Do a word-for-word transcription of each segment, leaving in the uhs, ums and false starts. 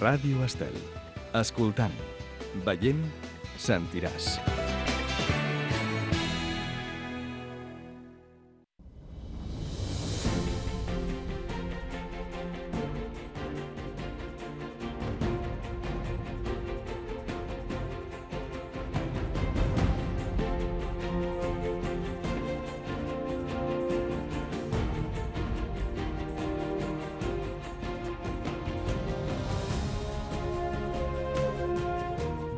Ràdio Estel. Escoltant, veient, sentiràs.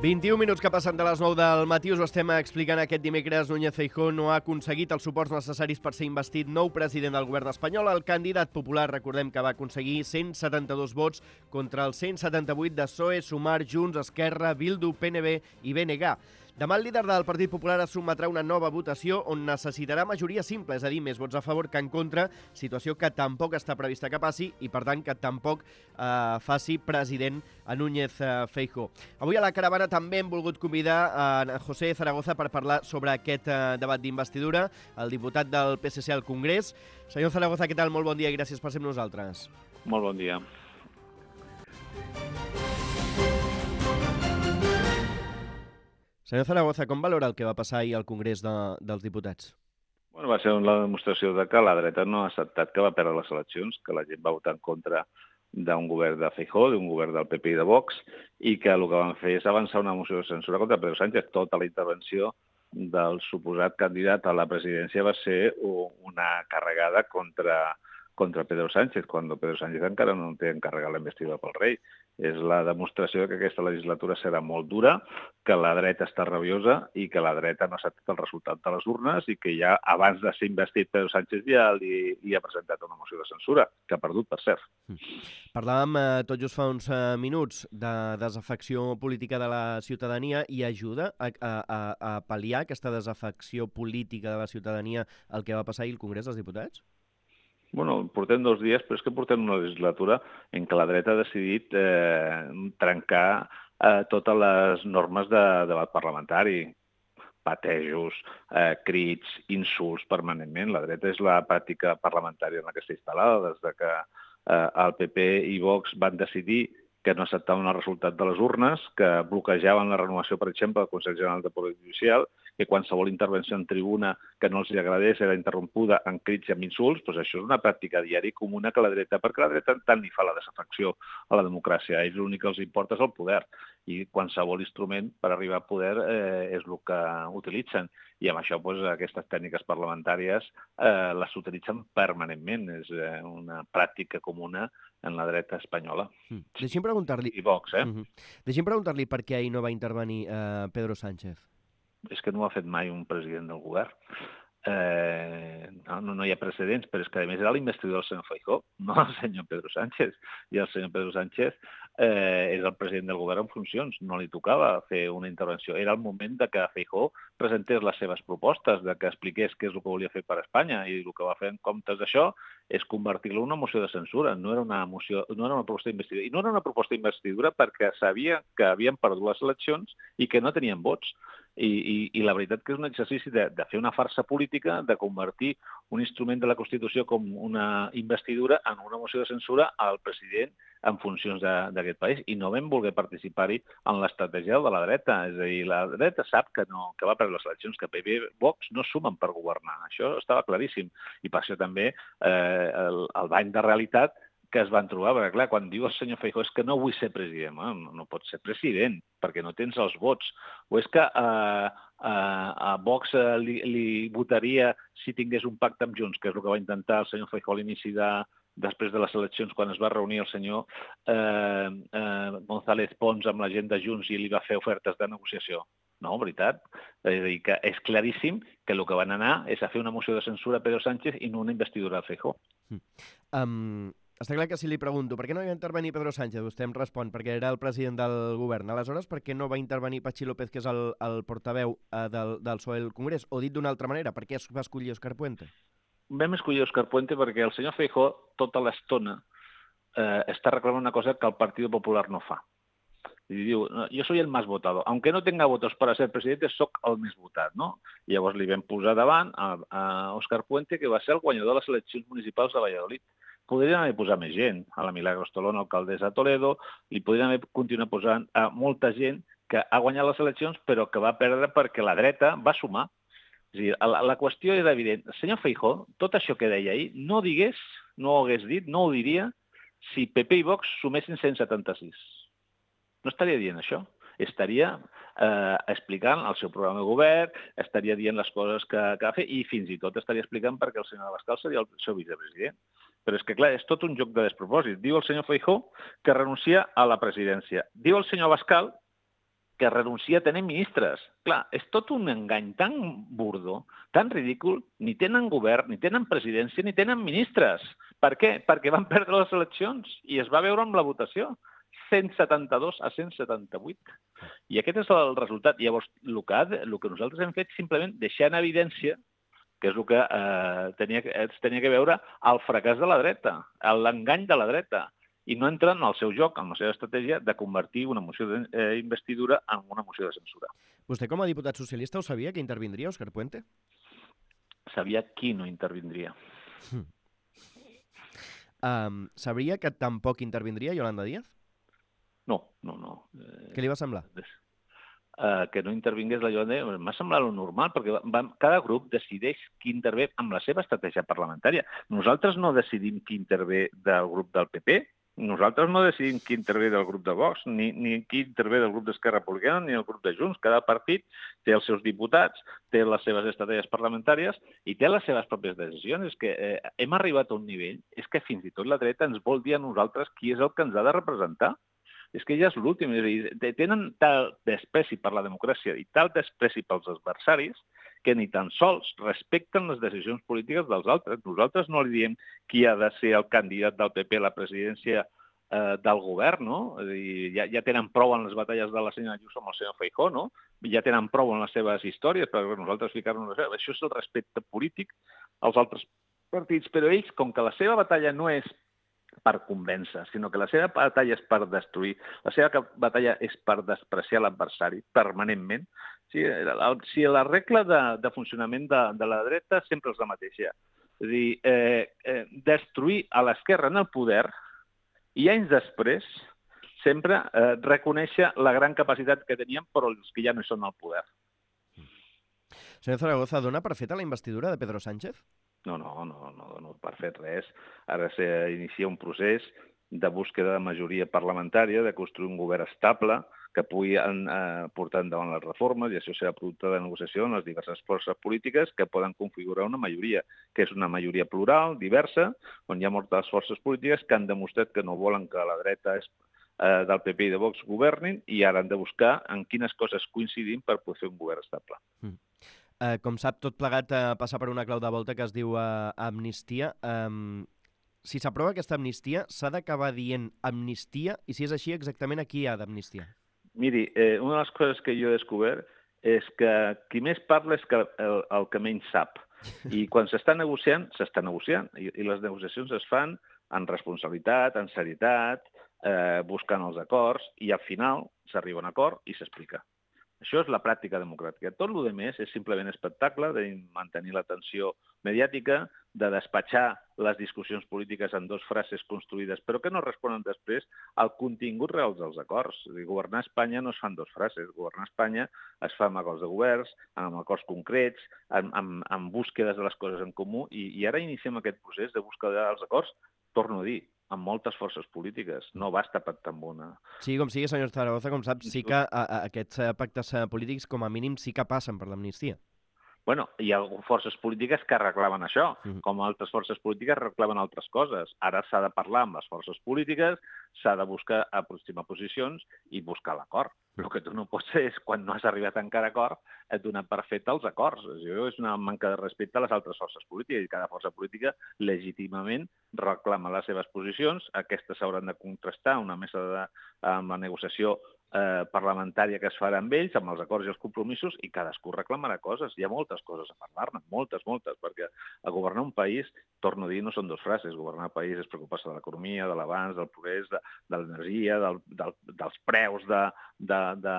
vint-i-un minuts que passen de les nou del matí, us ho estem explicant aquest dimecres. Núñez Feijóo no ha aconseguit els suports necessaris per ser investit nou president del govern espanyol. El candidat popular, recordem que va aconseguir cent setanta-dos vots contra els cent setanta-vuit de P S O E, Sumar, Junts, Esquerra, Bildu, P N B i B N G. Demà el líder del Partit Popular es sotmetrà a una nova votació on necessitarà majoria simple, és a dir, més vots a favor que en contra, situació que tampoc està prevista que passi i, per tant, que tampoc eh, faci president a Núñez eh, Feijóo. Avui a la caravana també hem volgut convidar a José Zaragoza per parlar sobre aquest eh, debat d'investidura, el diputat del P S C al Congrés. Senyor Zaragoza, què tal? Molt bon dia i gràcies per ser amb nosaltres. Molt bon dia. Senyor Zaragoza, com valora el que va passar ahir al Congrés de, dels Diputats? Bueno, va ser la demostració de que la dreta no ha acceptat que va perdre les eleccions, que la gent va votar en contra d'un govern de Feijóo, d'un govern del P P i de Vox, i que el que van fer és avançar una moció de censura contra Pedro Sánchez. Tota la intervenció del suposat candidat a la presidència va ser una carregada contra, contra Pedro Sánchez, quan Pedro Sánchez encara no té encarregat la investidura pel rei. És la demostració que aquesta legislatura serà molt dura, que la dreta està rabiosa i que la dreta no ha acceptat el resultat de les urnes i que ja abans de ser investit Pedro Sánchez ja li, li ha presentat una moció de censura, que ha perdut, per cert. Parlàvem eh, tot just fa uns eh, minuts de desafecció política de la ciutadania i ajuda a, a, a, a pal·liar aquesta desafecció política de la ciutadania el que va passar ahir al Congrés dels Diputats? Bueno, portem dos dies, però és que portem una legislatura en què la dreta ha decidit eh, trencar eh, totes les normes de debat parlamentari. Patejos, eh, crits, insults permanentment. La dreta és la pràctica parlamentària en la que està instal·lada des de que eh, el P P i Vox van decidir que no acceptaven el resultat de les urnes, que bloquejaven la renovació, per exemple, del Consell General de Poder Judicial, que qualsevol intervenció en tribuna que no els agradés era interrompuda en crits i amb insults. Doncs això és una pràctica diària i comuna que la dreta, perquè la dreta tant li fa la desafecció a la democràcia. A ells l'únic que els importa és el poder i qualsevol instrument per arribar a poder eh, és el que utilitzen. I amb això doncs, aquestes tècniques parlamentàries eh, les utilitzen permanentment. És eh, una pràctica comuna en la dreta espanyola. Mm. Deixi'm preguntar-li... I Vox, eh? Uh-huh. Deixi'm preguntar-li per què ahir no va intervenir eh, Pedro Sánchez. És que no ho ha fet mai un president del govern. Eh, no, no hi ha precedents, però és que a més era l'investidor del senyor Feijóo, no el senyor Pedro Sánchez. I el senyor Pedro Sánchez eh, és el president del govern en funcions, no li tocava fer una intervenció. Era el moment de que Feijóo presentés les seves propostes, de que expliqués què és el que volia fer per Espanya, i el que va fer en comptes d'això és convertir-lo en una moció de censura. No era una moció, no era una proposta d'investidura. I no era una proposta d'investidura perquè sabia que havien perdut les eleccions i que no tenien vots. I, i, i la veritat que és un exercici de, de fer una farsa política, de convertir un instrument de la Constitució com una investidura en una moció de censura al president en funcions d'aquest país, i no vam voler participar-hi en l'estratègia de la dreta. És a dir, la dreta sap que, no, que va perdre les eleccions, que P P i Vox no sumen per governar. Això estava claríssim. I per això també eh, el, el bany de realitat que es van trobar, perquè clar, quan diu el senyor Feijóo és que no vull ser president, eh? no, no pots ser president perquè no tens els vots, o és que eh, eh, a Vox eh, li, li votaria si tingués un pacte amb Junts, que és el que va intentar el senyor Feijóo a l'inici de, després de les eleccions, quan es va reunir el senyor eh, eh, González Pons amb la gent de Junts i li va fer ofertes de negociació. No, veritat. És a dir, que és claríssim que el que van anar és a fer una moció de censura a Pedro Sánchez i no una investidura a Feijóo. Mm. Um... Està clar que si li pregunto per què no va intervenir Pedro Sánchez, vostè em respon perquè era el president del govern. Aleshores, per què no va intervenir Patxi López, que és el, el portaveu eh, del, del P S O E al Congrés? O dit d'una altra manera, per què es va escollir Òscar Puente? Vam escollir Òscar Puente perquè el senyor Feijóo tota l'estona eh, està reclamant una cosa que el Partit Popular no fa. I diu, jo soy el más votado. Aunque no tenga votos para ser presidente, soc el més votat, no? I llavors li vam posar davant a, a Òscar Puente, que va ser el guanyador de les eleccions municipals de Valladolid. podrien haver posat més gent, a la Milagros Tolón, alcaldessa de Toledo, li podrien haver continuat posant a molta gent que ha guanyat les eleccions però que va perdre perquè la dreta va sumar. És a dir, la, la qüestió era evident. El senyor Feijóo, tot això que deia ahir, no digués, no ho hagués dit, no ho diria si P P i Vox sumessin cent setanta-sis. No estaria dient això. Estaria eh, explicant el seu programa de govern, estaria dient les coses que, que ha fet i fins i tot estaria explicant perquè el senyor Abascal seria el seu vicepresident. Però és que, clar, és tot un joc de despropòsit. Diu el senyor Feijóo que renuncia a la presidència. Diu el senyor Abascal que renuncia a tenir ministres. Clar, és tot un engany tan burdo, tan ridícul, ni tenen govern, ni tenen presidència, ni tenen ministres. Per què? Perquè van perdre les eleccions i es va veure amb la votació. cent setanta-dos a cent setanta-vuit. I aquest és el resultat. Llavors, el que, ha, el que nosaltres hem fet simplement deixar en evidència que és el que eh, tenia, es tenia que veure el fracàs de la dreta, l'engany de la dreta, i no entren en el seu joc, en la seva estratègia, de convertir una moció d'investidura en una moció de censura. Vostè, com a diputat socialista, ho sabia que intervindria Òscar Puente? Sabia qui no intervindria. Hmm. Um, sabria que tampoc intervindria Yolanda Díaz? No, no, no. Eh, Què li va semblar? Uh, que no intervingués la Yolanda Díaz, m'ha semblat lo normal, perquè va, cada grup decideix qui intervé amb la seva estratègia parlamentària. Nosaltres no decidim qui intervé del grup del P P, nosaltres no decidim qui intervé del grup de Vox, ni, ni qui intervé del grup d'Esquerra Republicana, ni el grup de Junts. Cada partit té els seus diputats, té les seves estratègies parlamentàries i té les seves pròpies decisions. És que eh, hem arribat a un nivell, és que fins i tot la dreta ens vol dir a nosaltres qui és el que ens ha de representar. És que ja és l'últim. És a dir, tenen tal despreci per la democràcia i tal despreci pels adversaris que ni tan sols respecten les decisions polítiques dels altres. Nosaltres no li diem qui ha de ser el candidat del P P a la presidència eh, del govern, no? És a dir, ja, ja tenen prou en les batalles de la senyora Ayuso amb el senyor Feijóo, no? Ja tenen prou en les seves històries, per nosaltres ficar-nos... Això és el respecte polític als altres partits, però ells, com que la seva batalla no és per convèncer, sinó que la seva batalla és per destruir, la seva batalla és per despreciar l'adversari permanentment. Sí, si la regla de, de funcionament de, de la dreta sempre és la mateixa. És a dir, eh, eh, destruir a l'esquerra en el poder i anys després sempre eh, reconèixer la gran capacitat que tenien però els que ja no són al poder. Senyor Zaragoza, dona per feta la investidura de Pedro Sánchez? No, no, no, no dono per fet res. Ara s'inicia un procés de búsqueda de majoria parlamentària, de construir un govern estable que pugui eh, portar endavant les reformes, i això serà producte de negociació amb les diverses forces polítiques que poden configurar una majoria, que és una majoria plural, diversa, on hi ha moltes forces polítiques que han demostrat que no volen que la dreta és, eh, del P P i de Vox governin, i ara han de buscar en quines coses coincidim per poder fer un govern estable. Mm. Uh, com sap, tot plegat uh, passa per una clau de volta que es diu uh, amnistia. Um, si s'aprova aquesta amnistia, s'ha d'acabar dient amnistia, i si és així, exactament a qui ha d'amnistia? Miri, eh, una de les coses que jo he descobert és que qui més parla és que el, el que menys sap. I quan s'està negociant, s'està negociant. I, I les negociacions es fan en responsabilitat, en serietat, eh, buscant els acords, i al final s'arriba a un acord i s'explica. Això és la pràctica democràtica. Tot el que més és simplement espectacle de mantenir l'atenció mediàtica, de despatxar les discussions polítiques en dues frases construïdes, però que no responen després al contingut real dels acords. És a dir, governar Espanya no es fa en dues frases. Governar Espanya es fa amb acords de governs, amb acords concrets, amb, amb, amb búsquedes de les coses en comú, i, i ara iniciem aquest procés de búsqueda dels acords, torno a dir, amb moltes forces polítiques. No basta pactar amb una. Sí, com sigui, senyor Zaragoza, com sap, sí que a, a, aquests pactes polítics, com a mínim, sí que passen per l'amnistia. Bueno, hi ha forces polítiques que reclamen això, Mm. com altres forces polítiques reclamen altres coses. Ara s'ha de parlar amb les forces polítiques, s'ha de buscar aproximar posicions i buscar l'acord. El que tu no pots fer és, quan no has arribat encara a acord, et donar per fet els acords. Això és una manca de respecte a les altres forces polítiques, i cada força política legítimament reclama les seves posicions. Aquestes s'hauran de contrastar una mesa de, amb la negociació eh, parlamentària que es farà amb ells, amb els acords i els compromisos, i cadascú reclamarà coses. Hi ha moltes coses a parlar-ne, moltes, moltes, perquè a governar un país torno a dir, no són dues frases. Governar el país és preocupar-se de l'economia, de l'avanç, del progrés, de, de l'energia, del, del, dels preus de, de, de,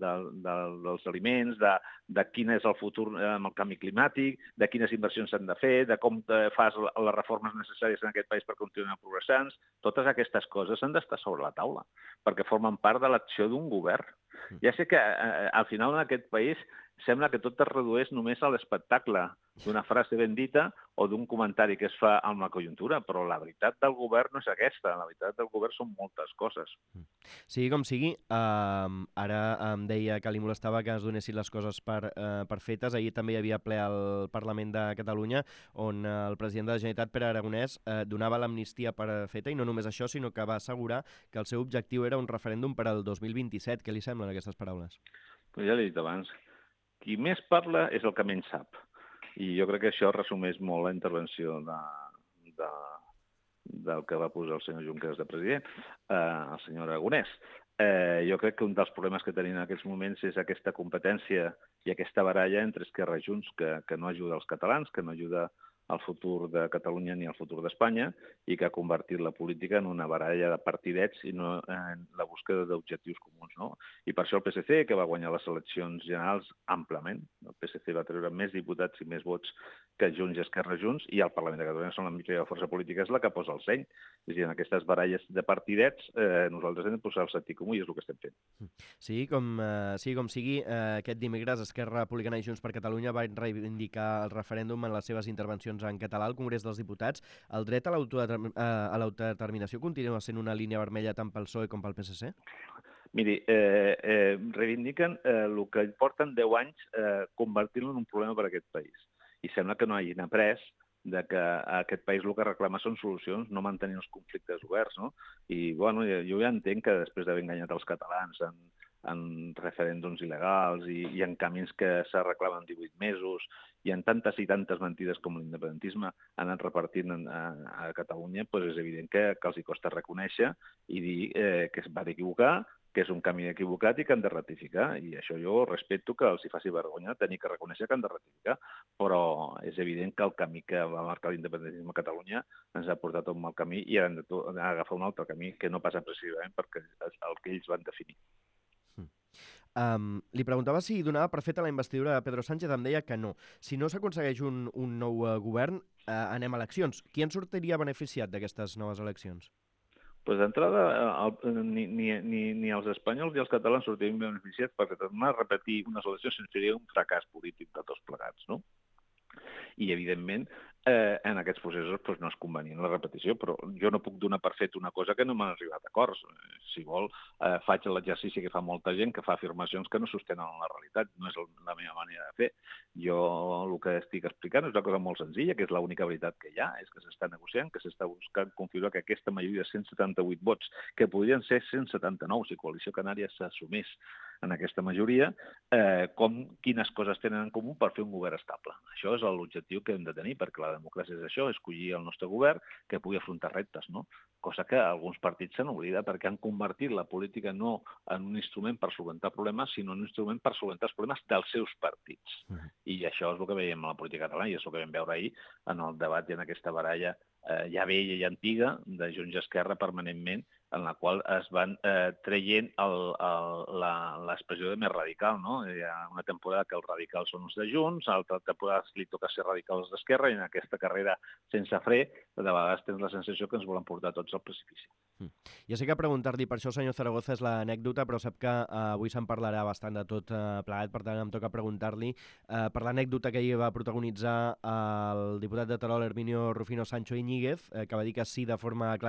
de, de, dels aliments, de, de quin és el futur amb el canvi climàtic, de quines inversions s'han de fer, de com fas les reformes necessàries en aquest país per continuar progressant. Totes aquestes coses han d'estar sobre la taula, perquè formen part de l'acció d'un govern. Ja sé que eh, al final en aquest país sembla que tot es redueix només a l'espectacle d'una frase ben dita o d'un comentari que es fa amb la conjuntura, però la veritat del govern no és aquesta, la veritat del govern són moltes coses. Sigui com sigui, eh, ara em deia que li molestava que es donessin les coses per, eh, per fetes. Ahir també hi havia ple al Parlament de Catalunya on el president de la Generalitat, Pere Aragonès, eh, donava l'amnistia per feta, i no només això, sinó que va assegurar que el seu objectiu era un referèndum per al dos mil vint-i-set. Què li semblen aquestes paraules? Pues ja l'he dit abans, qui més parla és el que menys sap. I jo crec que això resumeix molt la intervenció de, de, del que va posar el senyor Junqueras de president, eh, el senyor Aragonès. Eh, jo crec que un dels problemes que tenim en aquests moments és aquesta competència i aquesta baralla entre Esquerra i Junts que, que no ajuda els catalans, que no ajuda al futur de Catalunya ni al futur d'Espanya i que ha convertit la política en una baralla de partidets i no en la búsqueda d'objectius comuns, no? I per això el P S C, que va guanyar les eleccions generals àmpliament, el P S C va treure més diputats i més vots que Junts i Esquerra Junts, i el Parlament de Catalunya són la mitja força política, és la que posa el seny. És a dir, en aquestes baralles de partidets eh, nosaltres hem de posar el sentit comú i és el que estem fent. Sí, com, eh, sí, com sigui, eh, aquest dimecres Esquerra Republicana i Junts per Catalunya van reivindicar el referèndum en les seves intervencions en català al Congrés dels Diputats. El dret a l'autodeterminació continua sent una línia vermella tant pel P S O E com pel P S C? Miri, eh, eh, reivindiquen eh, el que porten deu anys eh, convertir-lo en un problema per a aquest país. I sembla que no hagin après de que a aquest país el que reclama són solucions, no mantenir els conflictes oberts, no? I, bueno, jo ja entenc que després d'haver enganyat els catalans en, en referèndums il·legals i, i en camins que se reclamen divuit mesos i en tantes i tantes mentides com l'independentisme han anat repartint en, a, a Catalunya, doncs és evident que, que els hi costa reconèixer i dir eh, que es van equivocar, que és un camí equivocat i que han de rectificar. I això jo respecto que els hi faci vergonya tenir que reconèixer que han de rectificar, però és evident que el camí que va marcar l'independentisme a Catalunya ens ha portat a un mal camí i han d'agafar un altre camí que no passa precisament perquè és el que ells van definir. Um, li preguntava si donava per feta la investidura de Pedro Sánchez, em deia que no. Si no s'aconsegueix un, un nou uh, govern, uh, anem a eleccions. Qui en sortiria beneficiat d'aquestes noves eleccions? Pues d'entrada, ni, ni, ni, ni els espanyols ni els catalans sortirien beneficiats perquè tornar a repetir unes eleccions seria un fracàs polític de tots plegats, no? I, evidentment, eh, en aquests processos doncs, no és convenient la repetició, però jo no puc donar per fet una cosa que no m'han arribat a acords. Si vol, eh, faig l'exercici que fa molta gent, que fa afirmacions que no sostenen la realitat. No és la meva manera de fer. Jo el que estic explicant és una cosa molt senzilla, que és l'única veritat que hi ha, és que s'està negociant, que s'està buscant configurar que aquesta majoria de cent setanta-vuit vots, que podrien ser cent setanta-nou si Coalició Canària s'assumís en aquesta majoria, eh, com quines coses tenen en comú per fer un govern estable. Això és l'objectiu que hem de tenir, perquè la democràcia és això, escollir el nostre govern que pugui afrontar reptes, no? Cosa que alguns partits s'han oblidat perquè han convertit la política no en un instrument per solventar problemes, sinó en un instrument per solventar els problemes dels seus partits. Uh-huh. I això és el que veiem a la política catalana i és el que vam veure ahir en el debat i en aquesta baralla eh, ja vella i antiga de Junts i Esquerra permanentment, en la qual es van eh, traient l'expressió de més radical, no? Hi ha una temporada que els radicals són els de Junts, altra temporada li toca ser radicals d'Esquerra, i en aquesta carrera sense fre, de vegades tens la sensació que ens volen portar tots al precipici. Mm. Ja sé que preguntar-li per això, senyor Zaragoza, és l'anècdota, però sap que eh, avui se'n parlarà bastant de tot eh, plegat, per tant em toca preguntar-li eh, per l'anècdota que ahir va protagonitzar el diputat de Terol, Herminio Rufino Sancho Iñiguez, eh, que va dir que sí de forma clara